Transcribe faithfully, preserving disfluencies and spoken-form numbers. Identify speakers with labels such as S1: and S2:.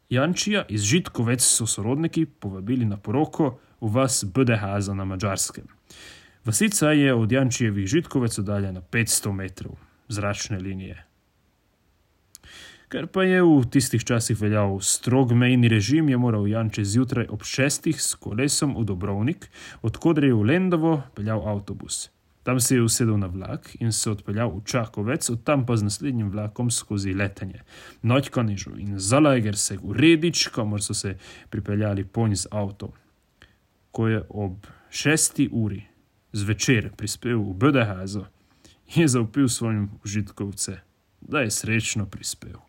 S1: Jančija iz Žitkovec so sorodniki povabili na poroko v vas Bdehaza na Mađarskem. Vasica je od Jančijevih Žitkovec oddaljena petsto metrov zračne linije. Ker pa je v tistih časih veljal strog mejni režim, je moral Janče zjutraj ob šestih s kolesom v Dobrovnik, odkoder je v Lendovo peljal avtobus. Tam se je usedel na vlak in se odpeljal v Čakovec, od tam pa z naslednjim vlakom skozi Letenje, Noćkanižu in Zalaegerseg v Redič, kamor so se pripeljali ponj z avtom. Ko je ob šesti uri zvečer prispel v Bdehazo, je zavpil svojim Žitkovce, da je srečno prispel.